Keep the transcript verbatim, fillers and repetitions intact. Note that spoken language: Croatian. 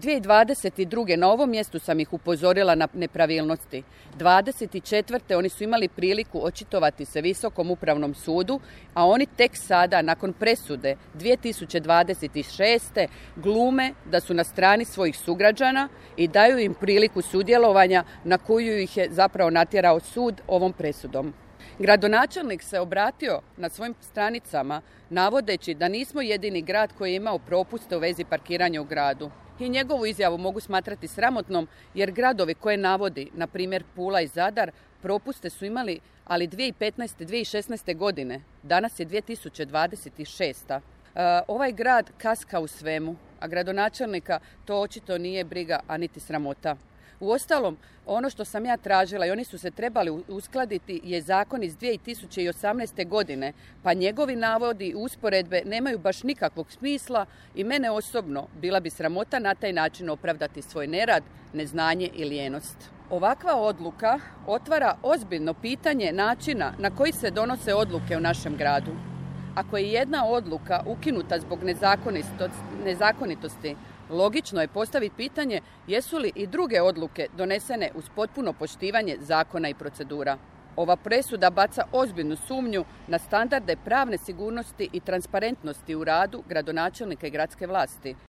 dvije tisuće dvadeset druge na ovom mjestu sam ih upozorila na nepravilnosti. dvadeset četvrte oni su imali priliku očitovati se Visokom upravnom sudu, a oni tek sada, nakon presude dvije tisuće dvadeset šeste glume da su na strani svojih sugrađana i daju im priliku sudjelovanja na koju ih je zapravo natjerao sud ovom presudom. Gradonačelnik se obratio na svojim stranicama navodeći da nismo jedini grad koji je imao propuste u vezi parkiranja u gradu. I njegovu izjavu mogu smatrati sramotnom jer gradovi koje navodi, na primjer Pula i Zadar, propuste su imali, ali dvije tisuće petnaeste. dvije tisuće šesnaeste. godine. Danas je dvije tisuće dvadeset šesta. E, ovaj grad kaska u svemu, a gradonačelnika to očito nije briga, a niti sramota. Uostalom, ono što sam ja tražila i oni su se trebali uskladiti je zakon iz dvije tisuće osamnaeste. godine, pa njegovi navodi i usporedbe nemaju baš nikakvog smisla i mene osobno bila bi sramota na taj način opravdati svoj nerad, neznanje i lijenost. Ovakva odluka otvara ozbiljno pitanje načina na koji se donose odluke u našem gradu. Ako je jedna odluka ukinuta zbog nezakonitosti, logično je postaviti pitanje jesu li i druge odluke donesene uz potpuno poštivanje zakona i procedura. Ova presuda baca ozbiljnu sumnju na standarde pravne sigurnosti i transparentnosti u radu gradonačelnika i gradske vlasti.